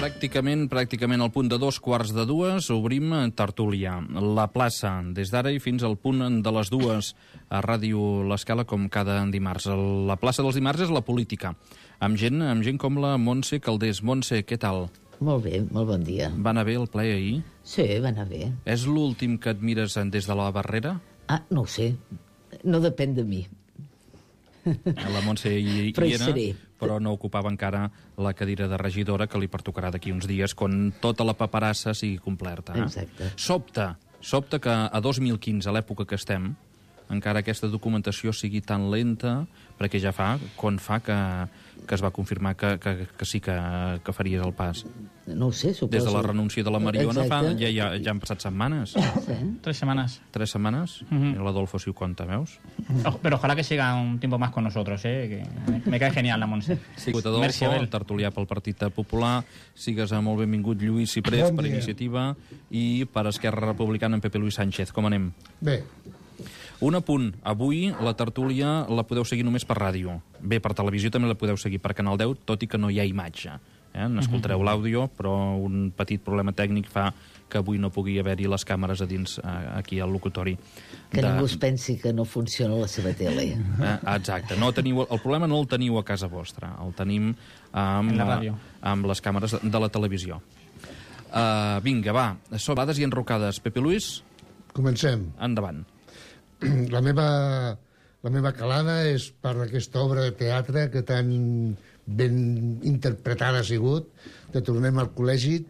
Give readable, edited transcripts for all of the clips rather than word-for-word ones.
Pràcticament al punt de 2:15 obrim tertúlia. La plaça, des d'ara i fins al punt de les 2 a Ràdio L'Escala, com cada dimarts. La plaça dels dimarts és la política, amb gent com la Montse Calders. Montse, què tal? Molt bé, molt bon dia. Va anar bé el ple ahir? Sí, va anar bé. És l'últim que et mires des de la barrera? Ah, no ho sé. No depèn de mi. La Montse hi era, però no ocupava encara la cadira de regidora, que li pertocarà d'aquí uns dies, quan tota la paperassa sigui completa. Exacte. Sobta que a 2015, a l'època que estem, encara aquesta documentació sigui tan lenta, perquè ja fa que es va confirmar que sí que faries el pas. No ho sé, suposo. Des de la renúncia de la Mariona ja han passat setmanes. Sí. 3 semanas. 3 setmanes? Uh-huh. I l'Adolfo si ho compta, veus? Pero ojalá que siga un tiempo más con nosotros, que me cae genial la Montse. Sí, Adolfo, tertulià pel Partit Popular, sigues molt benvingut Lluís Ciprés, bon per Iniciativa, i per Esquerra Republicana en Pepe Luis Sánchez. Com anem? Bé. Un apunt. Avui la tertúlia la podeu seguir només per ràdio. Bé, per televisió també la podeu seguir per Canal 10, tot i que no hi ha imatge. N'escoltareu l'àudio, però un petit problema tècnic fa que avui no pugui haver-hi les càmeres a dins aquí al locutori. Que ningú es pensi que no funciona la seva tele. Exacte. El problema no el teniu a casa vostra, el tenim amb les càmeres de la televisió. Vinga, va. Sobades i enrocades. Pepe Luis? Comencem. Endavant. La meva calada és per aquesta obra de teatre que tan ben interpretada ha sigut, de Tornem al col·legi,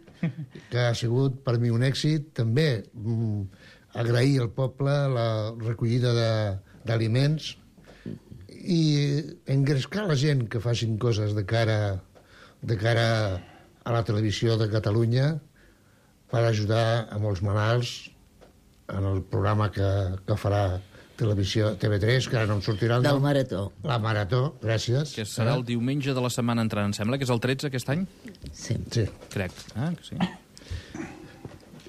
que ha sigut per mi un èxit. També agrair al poble la recollida d'aliments i engrescar la gent que facin coses de cara a la televisió de Catalunya per ajudar a molts malalts en el programa que farà televisió TV3, que ara no em sortirà el del nom. Marató. La Marató, gràcies. Que serà el diumenge de la setmana entrant, em sembla que és el 13 aquest any? Sí. Crec. Que sí.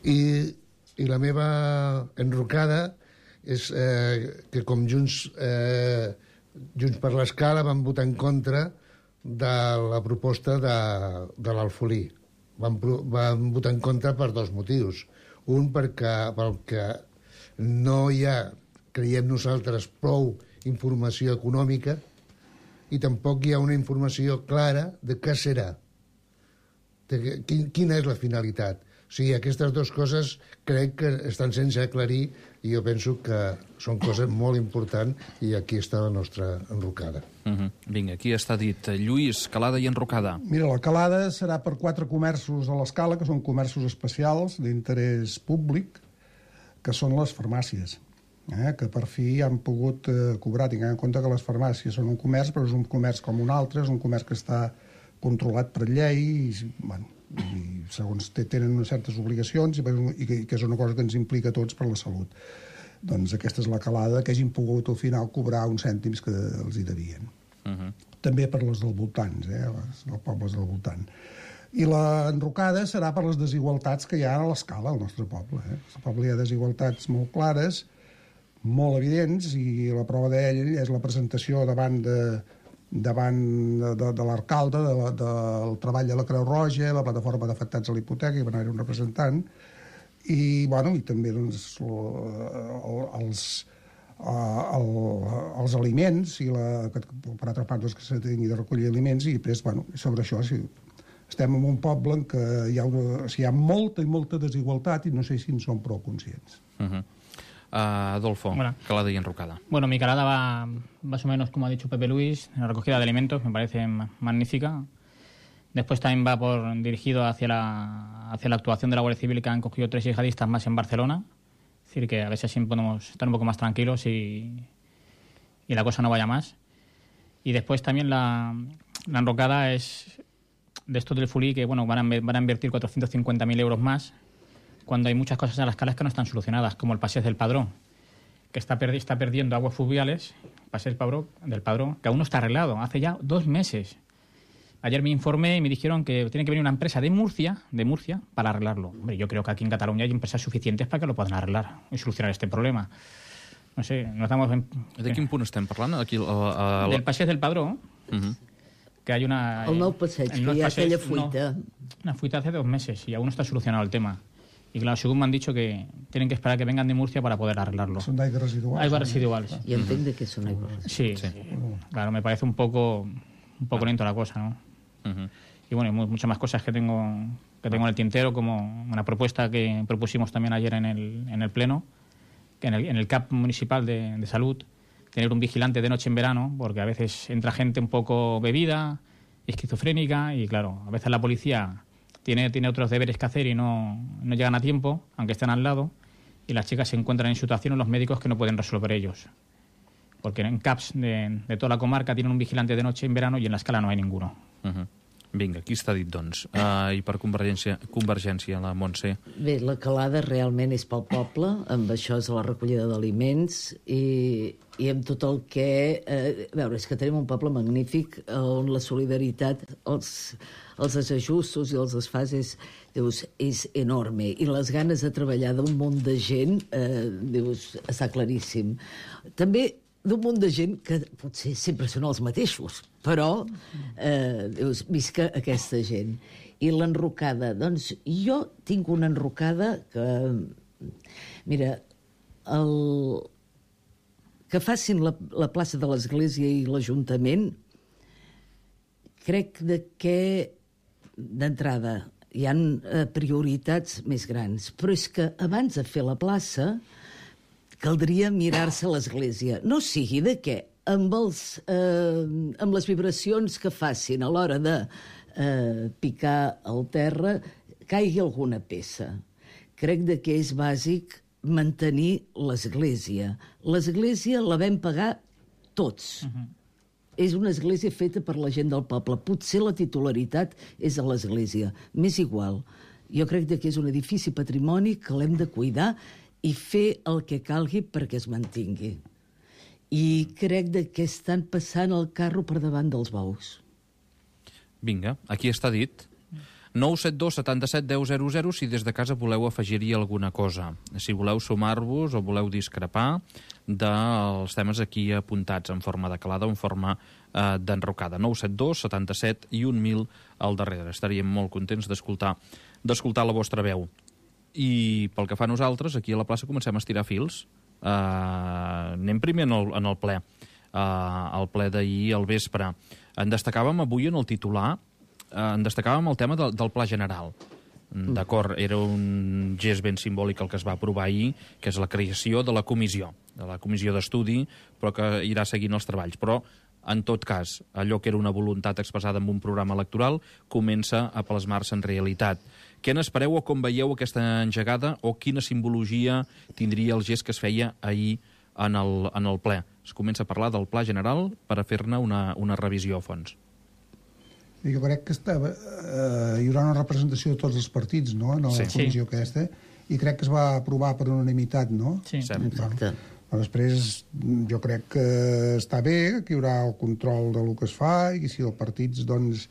I la meva enrocada és que com Junts per l'Escala van votar en contra de la proposta de l'Alfolí. Van votar en contra per 2 motius. Un, perquè no hi ha, creiem nosaltres, prou informació econòmica i tampoc hi ha una informació clara de què serà, quina és la finalitat. O sigui, aquestes 2 coses crec que estan sense aclarir i jo penso que són coses molt importants i aquí està la nostra enrocada. Vinga, aquí està dit. Lluís, calada i enrocada. Mira, la calada serà per 4 comerços a l'Escala, que són comerços especials d'interès públic, que són les farmàcies, que per fi han pogut cobrar, tinguent en compte que les farmàcies són un comerç, però és un comerç com un altre, és un comerç que està controlat per llei i segons tenen unes certes obligacions i que és una cosa que ens implica a tots per la salut. Doncs aquesta és la calada, que hagin pogut al final cobrar uns cèntims que els hi devien. També per les del voltants, els pobles del voltant. I la enrocada serà per les desigualtats que hi ha a l'Escala, al nostre poble. Al poble hi ha desigualtats molt clares, molt evidents, i la prova d'ell és la presentació davant de l'alcalde del treball de la Creu Roja, la plataforma d'afectats a la hipoteca, i va anar-hi un representant, i també els aliments, per altra part que s'ha de recollir aliments, i després, sobre això, estem en un poble en què hi ha molta i molta desigualtat i no sé si en som prou conscients. Adolfo, calada y enrocada. Bueno, mi calada va más o menos, como ha dicho Pepe Luis, en la recogida de alimentos, me parece magnífica. Después también va dirigido hacia la actuación de la Guardia Civil, que han cogido 3 yihadistas más en Barcelona. Es decir, que a ver si así podemos estar un poco más tranquilos y la cosa no vaya más. Y después también la enrocada es de esto del Fulí, que van a invertir 450.000 euros más, cuando hay muchas cosas en las calas que no están solucionadas, como el Paseo del Padrón, que está perdiendo aguas fluviales, Paseo del Padrón, que aún no está arreglado, hace ya 2 meses. Ayer me informé y me dijeron que tiene que venir una empresa de Murcia para arreglarlo. Hombre, yo creo que aquí en Cataluña hay empresas suficientes para que lo puedan arreglar y solucionar este problema. No sé, no estamos... De quin punt estem parlant? Aquí, del Paseo del Padrón, que hay una... El nou passeig, que hi ha aquella fuita. Una fuita hace 2 meses y aún no está solucionado el tema. Y claro, según me han dicho que tienen que esperar a que vengan de Murcia para poder arreglarlo. Són d'aigües residuals. Aigües residuals. I entenc de què són aigües. Sí, claro, me parece un poco lento la cosa, ¿no? Y bueno, muchas más cosas que tengo en el tintero, como una propuesta que propusimos también ayer en el Pleno, que en el CAP municipal de salud, tener un vigilante de noche en verano, porque a veces entra gente un poco bebida, esquizofrénica, y claro, a veces la policía tiene otros deberes que hacer y no llegan a tiempo, aunque estén al lado, y las chicas se encuentran en situaciones los médicos que no pueden resolver ellos. Porque en CAPs de toda la comarca tienen un vigilante de noche en verano y en la escala no hay ninguno. Vinga, aquí està dit, doncs. I per Convergència, la Montse. Bé, la calada realment és pel poble, amb això és la recollida d'aliments i amb tot el que... A veure, és que tenim un poble magnífic on la solidaritat, els desajustos i els desfases, dius, és enorme. I les ganes de treballar d'un munt de gent, dius, està claríssim. També d'un munt de gent que potser sempre són els mateixos, però dius, visca aquesta gent. I l'enrocada, doncs jo tinc una enrocada que, mira, que facin la plaça de l'Església i l'Ajuntament, crec que d'entrada hi ha prioritats més grans, però és que abans de fer la plaça caldria mirar-se l'Església. No sigui de què, amb les vibracions que facin a l'hora de picar el terra, caigui alguna peça. Crec que és bàsic mantenir l'Església. L'Església la vam pagar tots. És una església feta per la gent del poble. Potser la titularitat és de l'Església. M'és igual. Jo crec que és un edifici patrimoni que l'hem de cuidar i fer el que calgui perquè es mantingui. I crec que estan passant el carro per davant dels bous. Vinga, aquí està dit. 972 77 10 00 si des de casa voleu afegir-hi alguna cosa. Si voleu sumar-vos o voleu discrepar dels temes aquí apuntats en forma de calada o en forma d'enrocada. 972 77 i 1000 al darrere. Estaríem molt contents d'escoltar la vostra veu. I pel que fa a nosaltres, aquí a la plaça comencem a estirar fils. Anem primer en el ple. El ple d'ahir al vespre. En destacàvem avui en el titular, en destacàvem el tema del Pla General. D'acord, era un gest ben simbòlic el que es va aprovar ahir, que és la creació de la comissió d'estudi, però que irà seguint els treballs. Però, en tot cas, allò que era una voluntat expressada en un programa electoral comença a plasmar-se en realitat. Què n'espereu o com veieu aquesta engegada o quina simbologia tindria el gest que es feia ahir en el ple? Es comença a parlar del Pla General per a fer-ne una revisió a fons. Jo crec que hi haurà una representació de tots els partits, no?, en la comissió aquesta, i crec que es va aprovar per unanimitat, no? Sí, exacte. Però després jo crec que està bé, que hi haurà el control del que es fa, i si els partits, doncs,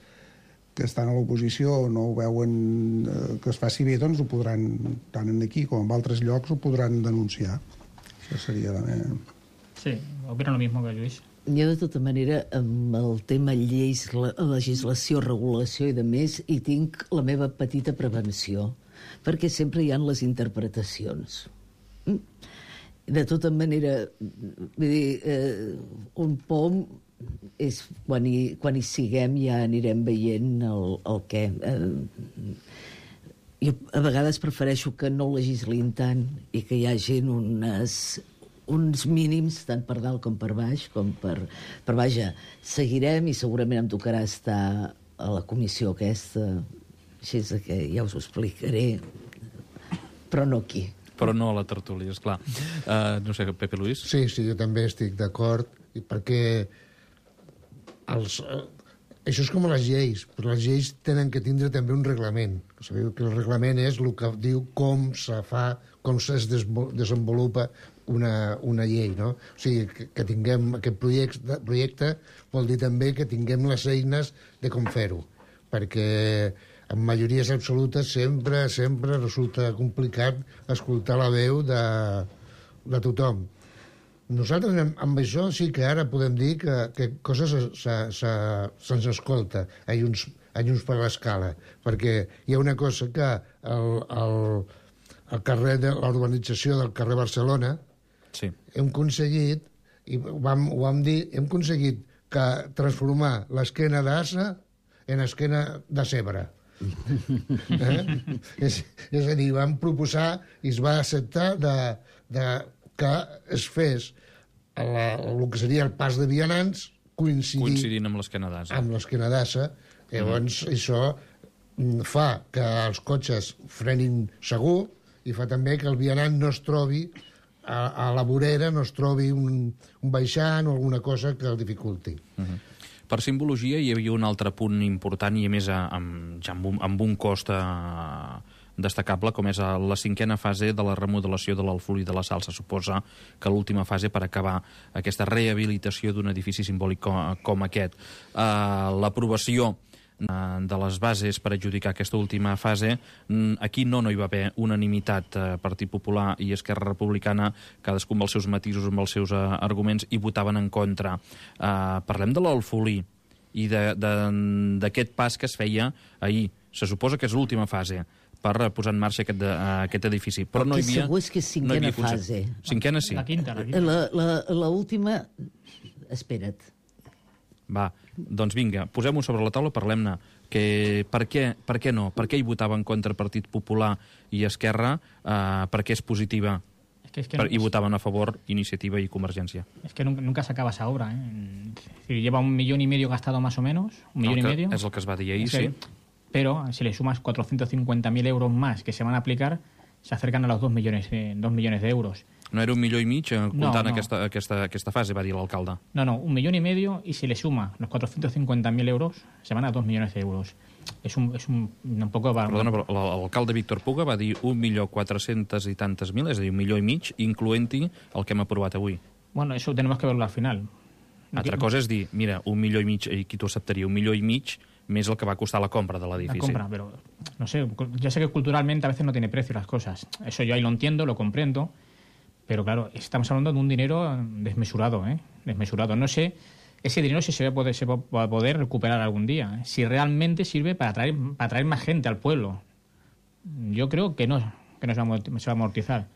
que estan a l'oposició no ho veuen que es faci bé, doncs ho podran, tant aquí com en altres llocs, ho podran denunciar. Això seria... Sí, opino lo mismo que Lluís. Jo, de tota manera, amb el tema lleis, legislació, regulació i de més, hi tinc la meva petita prevenció, perquè sempre hi ha les interpretacions. De tota manera, vull dir, un pom és quan hi siguem ja anirem veient el què. Jo a vegades prefereixo que no legislin tant i que hi hagin uns mínims, tant per dalt com per baix, per vaja, seguirem i segurament em tocarà estar a la comissió aquesta, així que ja us ho explicaré, però no aquí. Però no a la tertúlia, esclar. No sé, Pepe Luis? Sí, jo també estic d'acord, perquè això és com les lleis, però les lleis tenen que tindre també un reglament. Sabeu que el reglament és el que diu com se fa, com es desenvolupa una llei, no? O sigui, que tinguem aquest projecte vol dir també que tinguem les eines de com fer-ho, perquè en majories absolutes sempre resulta complicat escoltar la veu de tothom. Nosaltres amb això sí que ara podem dir que coses se'ns escolta. Hi ha uns a Junts per l'Escala, perquè hi ha una cosa que el carrer de l'urbanització del carrer Barcelona Sí. hem aconseguit, i ho vam dir, hem aconseguit que transformar l'esquena d'Assa en esquena de Cebre. És a dir, vam proposar i es va acceptar que es fes el que seria el pas de vianants Coincidint amb l'esquena d'Asa. amb l'esquena d'Assa. Llavors, això fa que els cotxes frenin segur i fa també que el vianant no es trobi a la vorera, no es trobi un baixant o alguna cosa que el dificulti. Per simbologia hi havia un altre punt important i a més amb un cost destacable, com és la 5a fase de la remodelació de l'Alfolí de la Sal. Se suposa que l'última fase per acabar aquesta rehabilitació d'un edifici simbòlic com aquest. L'aprovació de les bases per adjudicar aquesta última fase, aquí no hi va haver unanimitat. Partit Popular i Esquerra Republicana, cadascun amb els seus matisos, amb els seus arguments, i votaven en contra. Parlem de l'Alfolí i d'aquest pas que es feia ahir. Se suposa que és l'última fase per posar en marxa aquest edifici. Però no hi havia... segur és que és cinquena fase. Cinquena sí. La quinta. L'última... Espera't. Va, doncs vinga, posem-ho sobre la taula, parlem-ne. Per què no? Per què hi votava en contra Partit Popular i Esquerra? Per què és positiva? Y votaban a favor Iniciativa y Convergencia. Es que nunca se acaba esa obra, ¿eh? Es decir, lleva 1,5 millones gastado más o menos, 1,5 millones. Es lo que es va dir ahir, sí. Pero si le sumas 450.000 euros más que se van a aplicar, se acercan a los 2 millones de euros. No era 1,5 milions comptant aquesta fase, va dir l'alcalde. No, 1,5 millones y si le suma los 450.000 euros, se van a 2 millones de euros. És un poco... Perdona, però l'alcalde Víctor Puga va dir 1.400.000 i tantes mil, és a dir, 1,5 milions, incloent-hi el que hem aprovat avui. Bueno, eso tenemos que verlo al final. Altra cosa és dir, mira, 1,5 milions, i qui t'ho acceptaria? 1,5 milions més el que va costar la compra de l'edifici. La compra, pero no sé, ya sé que culturalmente a veces no tiene precio las cosas. Eso yo ahí lo entiendo, lo comprendo, pero claro, estamos hablando de un dinero desmesurado, ¿eh? Desmesurado. No sé ese dinero si se va a poder recuperar algún día, ¿eh? Si realmente sirve para atraer más gente al pueblo. Yo creo que no se va a amortizar.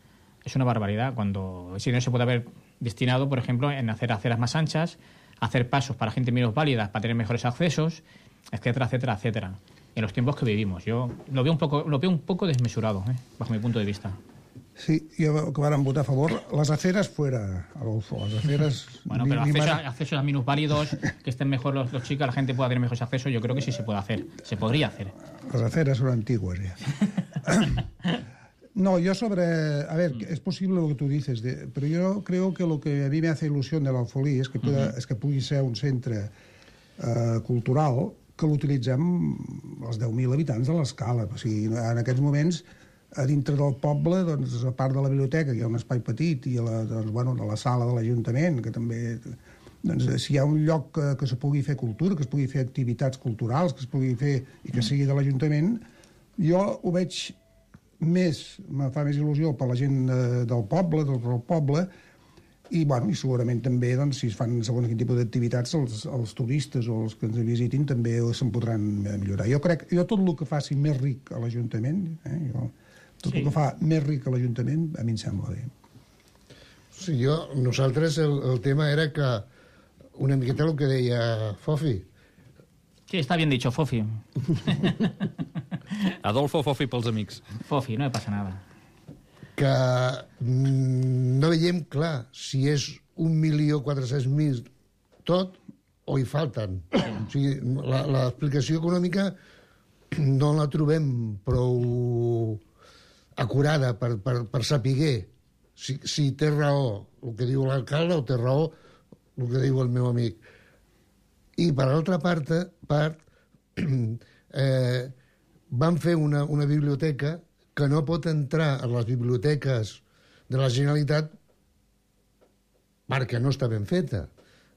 Es una barbaridad cuando ese dinero se puede haber destinado, por ejemplo, en hacer aceras más anchas, hacer pasos para gente menos válida, para tener mejores accesos, etcétera, etcétera, etcétera. En los tiempos que vivimos. Yo lo veo un poco desmesurado, bajo mi punto de vista. Sí, jo que varen votar a favor, les aceres fuera, Adolfo, las aceres... Bueno, pero accesos a minusválidos, que estén mejor los chicos, la gente pueda tener mejores accesos, yo creo que sí se puede hacer, se podría hacer. Las aceres son antiguas ya. No, yo a ver, es posible lo que tú dices, pero yo creo que lo que a mí me hace ilusión de l'Alfolí és que pugui ser un centre cultural que l'utilitzem els 10.000 habitants de l'Escala. O sigui, en aquests moments, a dintre del poble, doncs, a part de la biblioteca, que hi ha un espai petit, i de la sala de l'Ajuntament, que també... Doncs, si hi ha un lloc que se pugui fer cultura, que es pugui fer activitats culturals, que es pugui fer i que sigui de l'Ajuntament, jo ho veig més, me fa més il·lusió per la gent del poble, del poble, i segurament també, doncs, si es fan segons quin tipus d'activitats, els turistes o els que ens visitin també se'n podran millorar. Jo tot el que faci més ric a l'Ajuntament, tot el que fa més ric a l'Ajuntament, a mi em sembla bé. Sí, nosaltres el tema era que una miqueta el que deia Fofi. Sí, está bien dicho, Fofi. Adolfo Fofi pels amics. Fofi, no passa nada. Que no veiem clar si és 1.400.000 tot o hi falten. O sigui, l'explicació econòmica no la trobem prou acurada per saber si té raó el que diu l'alcalde o té raó el que diu el meu amic. I per l'altra part van fer una biblioteca que no pot entrar a les biblioteques de la Generalitat perquè no està ben feta.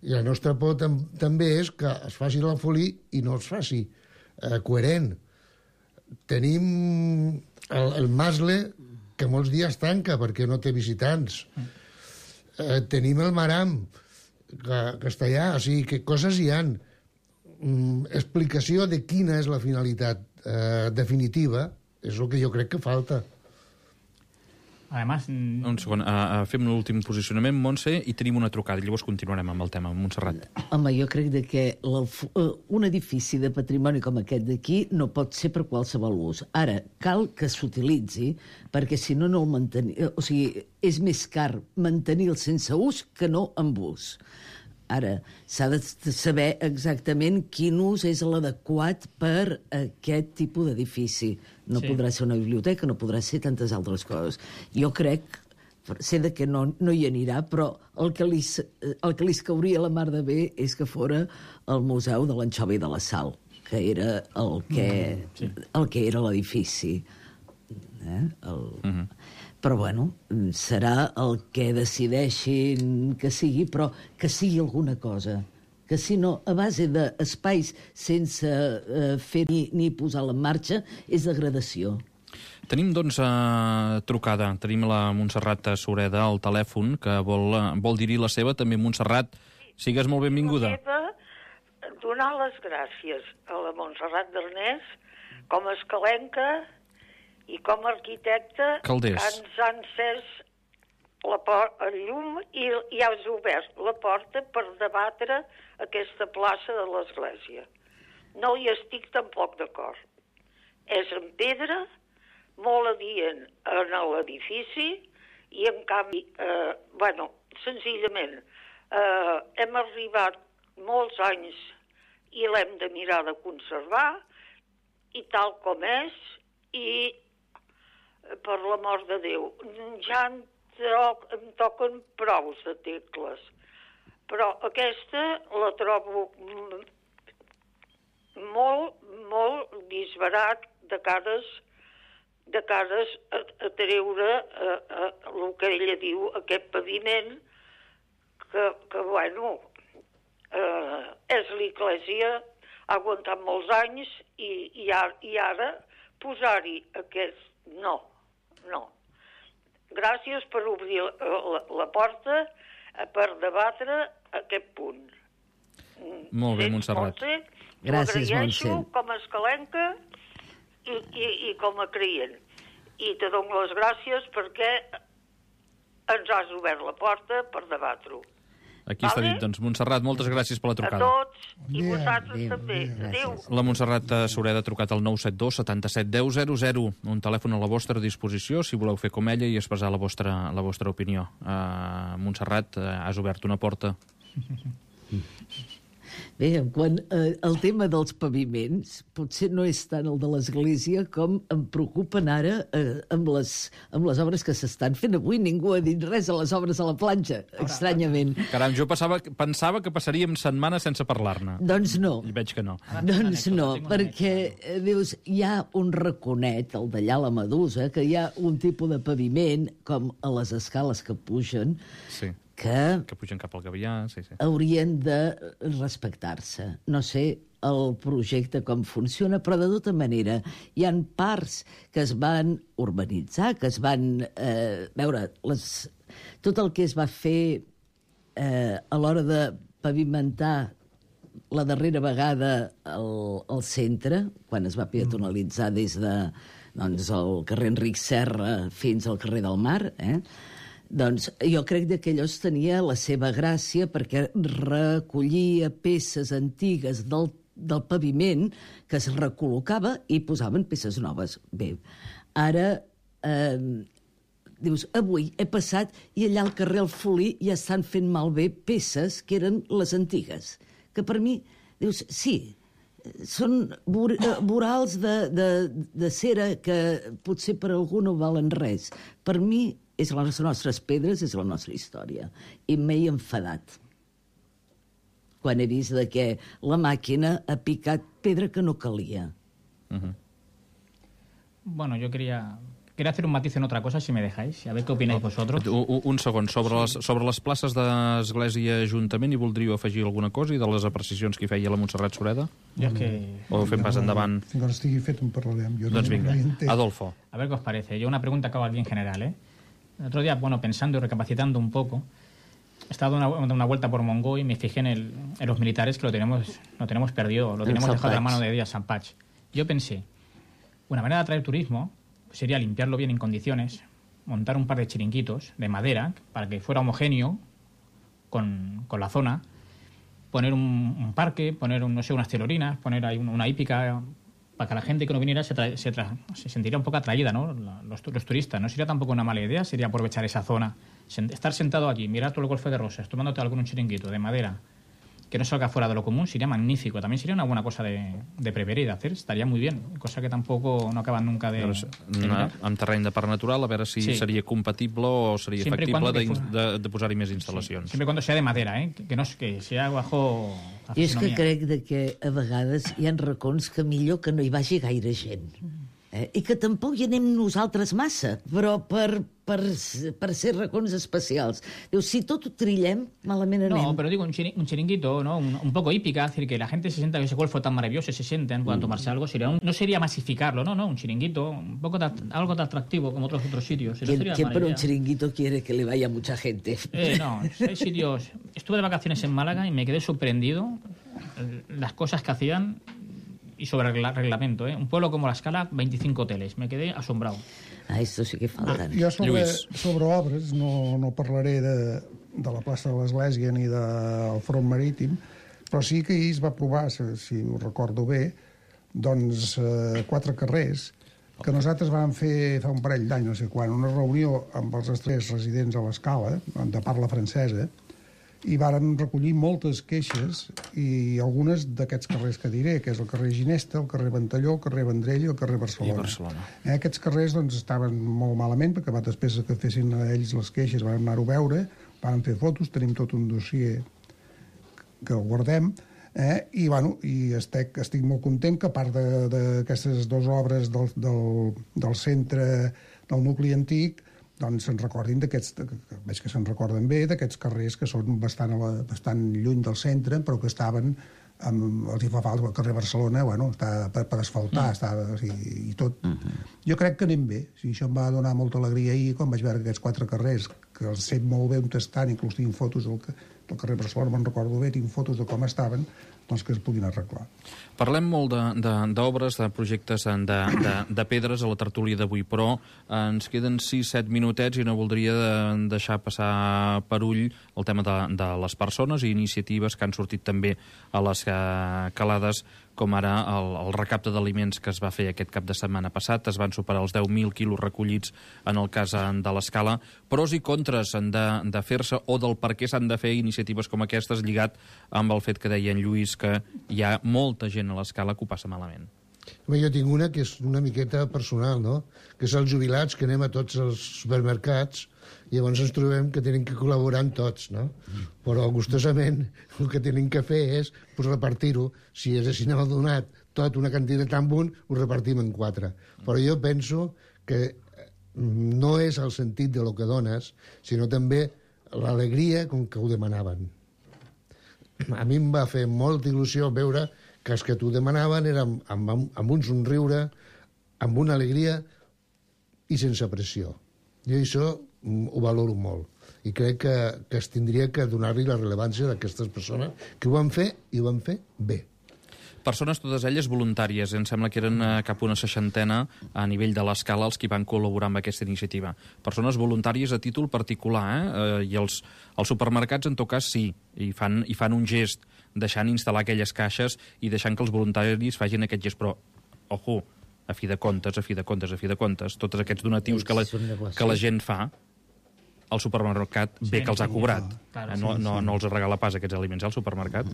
I la nostra por també és que es faci l'Alfolí i no es faci coherent. Tenim el Masle, que molts dies tanca perquè no té visitants. Tenim el Maram, que està allà. O sigui, que coses hi han. explicació de quina és la finalitat definitiva és el que jo crec que falta. Además... Un segon, fem l'últim posicionament, Montse, i tenim una trucada, i llavors continuarem amb el tema, Montserrat. Home, jo crec que un edifici de patrimoni com aquest d'aquí no pot ser per qualsevol ús. Ara, cal que s'utilitzi, perquè si no, no el mantenir... O sigui, és més car mantenir-lo sense ús que no amb ús. Ara, s'ha de saber exactament quin ús és l'adequat per aquest tipus d'edifici. No podrà ser una biblioteca, no podrà ser tantes altres coses. Jo crec, sé que no hi anirà, però el que li cauria la mar de bé és que fora el Museu de l'Anxova i de la Sal, que era el que era l'edifici. Però, bueno, serà el que decideixin que sigui, però que sigui alguna cosa. Que si no, a base d'espais sense fer ni posar-la en marxa, és degradació. Tenim, doncs, trucada. Tenim la Montserrat Sureda al telèfon, que vol dir-hi la seva. També, Montserrat, sigues molt benvinguda. Donar les gràcies a la Montserrat Darnés com a escalenca i com a arquitecte Calders. Que ens ha encès el llum i has obert la porta per debatre aquesta plaça de l'església. No hi estic tampoc d'acord. És en pedra, molt adient en l'edifici i, en canvi, senzillament, hem arribat molts anys i l'hem de mirar de conservar i tal com és i per l'amor de Déu, ja em toquen prous de tecles. Però aquesta la trobo molt disbarat de cares a treure el que ella diu, aquest paviment que bueno, és l'església, ha aguantat molts anys i ara posar-hi aquest... No. Gràcies per obrir la porta per debatre aquest punt. Molt bé, Montserrat. Gràcies, Montse. Com a escalenca i com a creient. I te dono les gràcies perquè ens has obert la porta per debatre-ho. Aquí està dit, doncs, Montserrat, moltes gràcies per la trucada. A tots, i vosaltres també. Adéu. La Montserrat Sureda ha trucat al 972 77 10 00, un telèfon a la vostra disposició, si voleu fer com ella i expressar la vostra opinió. Montserrat, has obert una porta. Bé, quan el tema dels paviments potser no és tant el de l'Església com em preocupen ara amb les obres que s'estan fent avui. Ningú ha dit res a les obres a la platja, estranyament. Caram, jo pensava que passaríem setmanes sense parlar-ne. Doncs no. I veig que no. Doncs no, perquè, dius, hi ha un raconet, el d'allà la Medusa, que hi ha un tipus de paviment, com a les escales que pugen, Sí. Que pugen cap al Gavià, sí. Haurien de respectar-se. No sé el projecte com funciona, però de tota manera hi han parts que es van urbanitzar, que es van tot el que es va fer a l'hora de pavimentar la darrera vegada al centre, quan es va peatonalitzar des de el carrer Enric Serra fins al carrer del Mar, doncs jo crec que allò tenia la seva gràcia perquè recollia peces antigues del paviment que es recol·locava i posaven peces noves. Bé, ara, dius, avui he passat i allà al carrer Alfolí ja estan fent malbé peces que eren les antigues, que per mi, dius, sí, són vorals de cera que potser per algú no valen res. Per mi és les nostres pedres, és la nostra història. I m'he enfadat quan he vist que la màquina ha picat pedra que no calia. Bueno, yo quería hacer un matiz en otra cosa, si me dejáis, a ver qué opináis vosotros. Un segon, sobre les places d'Església i Ajuntament, hi voldríeu afegir alguna cosa i de les apreciacions que hi feia la Montserrat Sureda? O fem pas endavant? Fins que estigui fet en parlarem. Doncs vinga, Adolfo. A ver qué os parece. Yo una pregunta que hago aquí en general, El otro día, pensando y recapacitando un poco, estado dando una vuelta por Mongo y me fijé en los militares que lo tenemos perdido, lo tenemos dejado de la mano de Díaz Sampach. Yo pensé, una manera de atraer turismo sería limpiarlo bien en condiciones, montar un par de chiringuitos de madera para que fuera homogéneo con la zona, poner un parque, poner unas telorinas, poner ahí una hípica, para que la gente que no viniera se sentiría un poco atraída, ¿no? Los turistas. No sería tampoco una mala idea, sería aprovechar esa zona, estar sentado aquí, mirar todo el Golfo de Rosas, tomándote algún chiringuito de madera, que no salga fuera de lo común, sería magnífico. También sería una buena cosa de prever i de hacer, estaria molt bien, cosa que tampoco no acaban nunca de mirar. En terreny de parc natural, a veure si seria compatible o seria factible de posar-hi més instal·lacions. Siempre cuando sea de madera, que sea bajo la I és que fisonomia. crec que a vegades hi ha racons que millor que no hi vagi gaire gent. I que tampoc hi anem nosaltres massa, però per ser racons especials. Diu, si tot ho trillem, malament anem. No, pero digo, un chiringuito, ¿no? Un poco hípica, es decir, que la gente se sienta que ese golfo tan maravilloso, se sienten, puedan tomarse algo, no sería masificarlo, no, un chiringuito, un poco algo de atractivo como otros sitios. ¿Quién para un chiringuito quiere que le vaya mucha gente? No, hay sitios... Estuve de vacaciones en Málaga y me quedé sorprendido las cosas que hacían y sobre el reglamento. Un pueblo como La Scala, 25 hoteles. Me quedé asombrado. Esto sí que falta. Jo sobre obres no parlaré de la plaça de l'Església ni del front marítim, però sí que ahir es va aprovar, si ho recordo bé, doncs 4 carrers que nosaltres vam fer fa un parell d'anys, no sé quan, una reunió amb els estrangers residents a l'Escala, de parla francesa, i varen recollir moltes queixes i algunes d'aquests carrers que diré, que és el carrer Ginesta, el carrer Ventalló, el carrer Vendrell i el carrer Barcelona. Aquests carrers doncs, estaven molt malament, perquè després que fessin ells les queixes van anar-ho a veure, van fer fotos, tenim tot un dossier que el guardem, i estic molt content que a part d'aquestes 2 obres del centre del nucli antic doncs se'n recordin d'aquests, veig que se'n recorden bé, d'aquests carrers que són bastant lluny del centre, però que estaven, els hi fa falta el carrer Barcelona, està per asfaltar, i tot. Jo crec que anem bé. Això em va donar molta alegria ahir, quan vaig veure aquests 4 carrers, que els sé molt bé on estan, inclús tinc fotos del carrer Barcelona, me'n recordo bé, tinc fotos de com estaven, doncs que es puguin arreglar. Parlem molt d'obres, de projectes de pedres a la tertúlia d'avui, però ens queden 6-7 minutets i no voldria deixar passar per ull el tema de les persones i iniciatives que han sortit també a les calades, com ara el recapte d'aliments que es va fer aquest cap de setmana passat. Es van superar els 10.000 quilos recollits en el cas de l'Escala. Pros i contres de fer-se o del per què s'han de fer iniciatives com aquestes, lligat amb el fet que deia en Lluís que hi ha molta gent a l'Escala que ho passa malament. Jo tinc una que és una miqueta personal, no? Que és els jubilats que anem a tots els supermercats i llavors ens trobem que tenim que col·laborar amb tots, no? Però gustosament el que tenim que fer és repartir-ho. Si haguéssim donat tot una quantitat amb un, ho repartim en 4. Però jo penso que no és el sentit de lo que dones, sinó també l'alegria com que ho demanaven. A mi em va fer molta il·lusió veure que els que t'ho demanaven eren amb un somriure, amb una alegria i sense pressió. Jo això ho valoro molt i crec que es tindria que donar-li la rellevància d'aquestes persones que ho van fer i ho van fer bé. Persones, totes elles voluntàries. Em sembla que eren cap una 60 a nivell de l'Escala els que van col·laborar amb aquesta iniciativa. Persones voluntàries a títol particular, i els supermercats, en tot cas, sí, i fan un gest, deixant instal·lar aquelles caixes i deixant que els voluntaris facin aquest gest. Però, ojo, a fi de comptes, tots aquests donatius que la gent fa, el supermercat bé que els ha cobrat. No els regala pas aquests aliments al supermercat.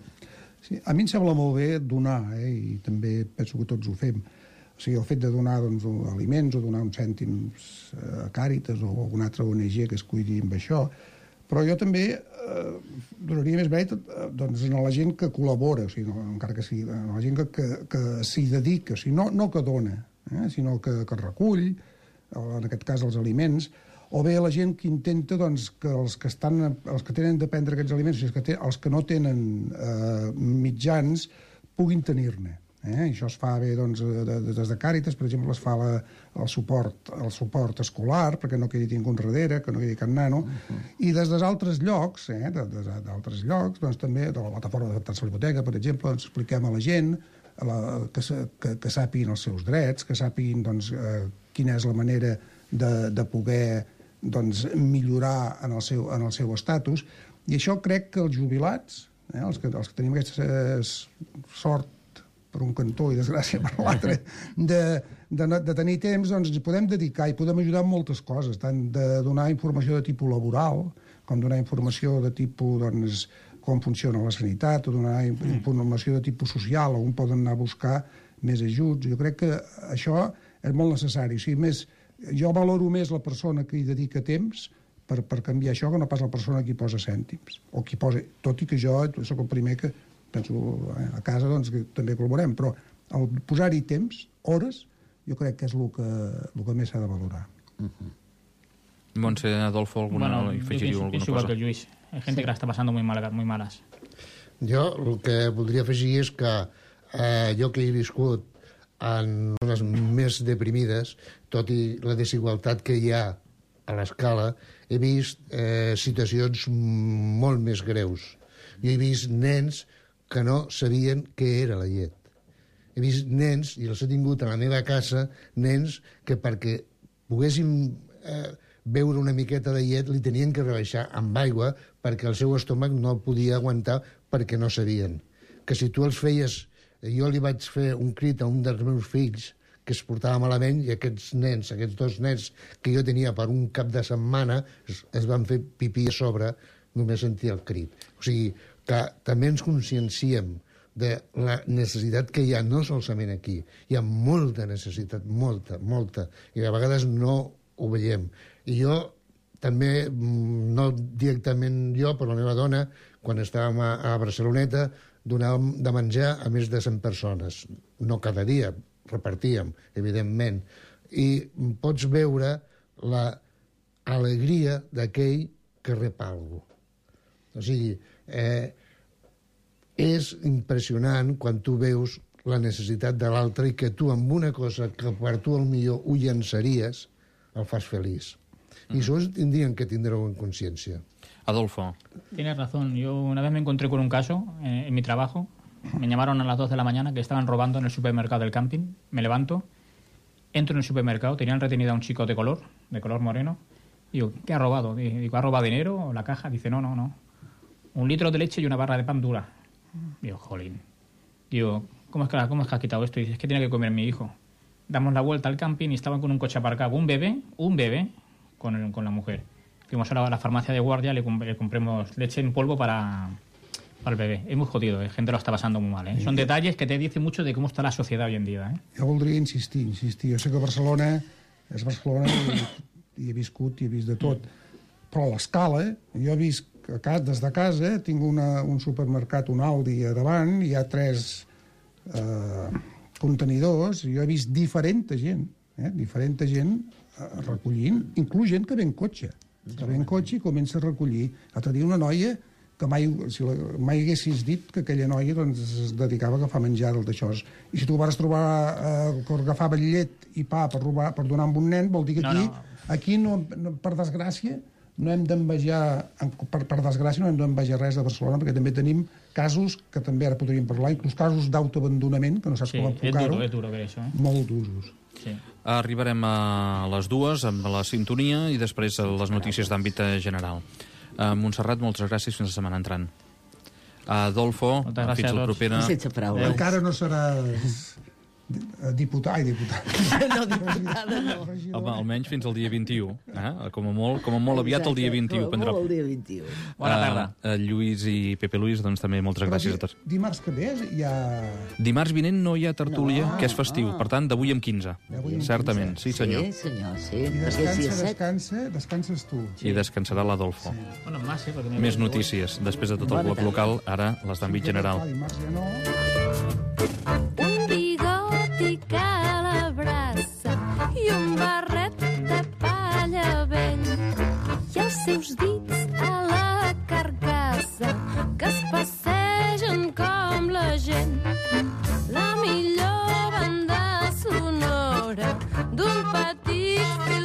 Sí, a mi em sembla molt bé donar, i també penso que tots ho fem. O sigui, el fet de donar aliments o donar uns cèntims a Càritas o alguna altra ONG que es cuidi amb això, però jo també donaria més mèrit a la gent que col·labora, o sigui, encara que sigui, a la gent que s'hi dedica, o sigui, no que dona, sinó que recull, en aquest cas els aliments, o bé la gent que intenta que els que tenen de prendre aquests aliments, els que no tenen mitjans, puguin tenir-ne. Això es fa bé doncs, des de Càritas, per exemple, es fa el suport escolar, perquè no quedi ningú enrere, que no quedi cap nano, i des d'altres llocs, doncs, també de la plataforma d'adaptar-se a la hipoteca, per exemple, doncs, expliquem a la gent que sàpiguen els seus drets, que sàpiguen doncs, quina és la manera de poder doncs, millorar en el seu estatus, i això crec que els jubilats, els que tenim aquesta sort per un cantó i desgràcia per l'altre, de tenir temps, doncs ens podem dedicar i podem ajudar en moltes coses, tant de donar informació de tipus laboral, com donar informació de tipus, doncs, com funciona la sanitat, o donar informació de tipus social, on poden anar a buscar més ajuts. Jo crec que això és molt necessari. O sigui, jo valoro més la persona que hi dedica temps per canviar això que no pas la persona que hi posa cèntims. O qui posa, tot i que jo soc el primer que penso a casa doncs, que també col·laborem, però el posar-hi temps, hores, jo crec que és el que més s'ha de valorar. Montse, Adolfo, alguna cosa? Que el Lluís. Hay gente que la está pasando muy malas. Jo el que voldria afegir és que jo que he viscut en zones més deprimides, tot i la desigualtat que hi ha a l'escala, he vist situacions molt més greus. Jo he vist nens que no sabien què era la llet. He vist nens, i els he tingut a la meva casa, nens que perquè poguessin beure una miqueta de llet li tenien que rebaixar amb aigua perquè el seu estómac no el podia aguantar perquè no sabien. Que si tu els feies... Jo li vaig fer un crit a un dels meus fills que es portava malament i aquests dos nens que jo tenia per un cap de setmana es van fer pipí a sobre, només sentir el crit. O sigui, que també ens conscienciem de la necessitat que hi ha, no solament aquí. Hi ha molta necessitat, molta, i a vegades no ho veiem. I jo també, no directament jo, però la meva dona, quan estàvem a Barceloneta, donàvem de menjar a més de 100 persones. No cada dia, repartíem, evidentment. I pots veure l'alegria d'aquell que rep alguna cosa. O sigui, és impressionant quan tu veus la necessitat de l'altre i que tu amb una cosa que per tu millor ho llançaries, el fas feliç. Y eso tendrían que tenerlo en conciencia. Adolfo. Tienes razón. Yo una vez me encontré con un caso en mi trabajo. Me llamaron a las 2 de la mañana que estaban robando en el supermercado del camping. Me levanto, entro en el supermercado, tenían retenido a un chico de color moreno. Digo, ¿qué ha robado? Digo, ¿ha robado dinero o la caja? Dice, no. 1 litro de leche y una barra de pan dura. Digo, jolín. Digo, ¿cómo es que has quitado esto? Y dice, es que tiene que comer mi hijo. Damos la vuelta al camping y estaban con un coche aparcado. Un bebé con la mujer. Fuimos a la farmacia de guardia, le compremos leche en polvo para el bebé. Es muy jodido, la gente lo está pasando muy mal. Son detalles que te dicen mucho de cómo está la sociedad hoy en día. Jo voldria insistir. Jo sé que Barcelona és Barcelona i he viscut i he vist de tot. Però a l'escala, jo he vist des de casa, tinc un supermercat, un Aldi a davant, hi ha 3 contenidors, i jo he vist diferent gent recollint, inclús gent que ve en cotxe. I comença a recollir. L'altre dia una noia que mai haguessis dit que aquella noia doncs, es dedicava a agafar menjar d'això. I si tu vas trobar que agafava llet i pa per donar a un nen, vol dir que aquí no, per desgràcia, no hem d'envejar, per desgràcia, no hem d'envejar res de Barcelona, perquè també tenim casos que també ara podríem parlar, inclús casos d'autoabandonament, que no saps com enfocar-ho. És duro ver això. Molt duros. Sí. Arribarem a les 2 amb la sintonia i després les notícies d'àmbit general. Montserrat, moltes gràcies, fins la setmana entrant. Adolfo, fins la propera. Sense paraules. Encara no seràs diputat. No, diputada no. Home, almenys fins al dia 21. Com a molt aviat el dia 21. Com a molt el dia 21. Bona tarda. Lluís i Pepe Luis, doncs també moltes gràcies a tots. Dimarts que ve hi ha... Dimarts vinent no hi ha tertúlia, que és festiu. Per tant, d'avui amb 15. Certament, sí senyor. Sí, senyor, sí. I descanses tu. I descansarà l'Adolfo. Bueno, más, Més notícies. Després de tot el bloc local, ara les d'àmbit general. Dimarts ja no... Que l'abraça i un barret de palla vell i els seus dits a la carcassa que es passegen com la gent. La millor un petit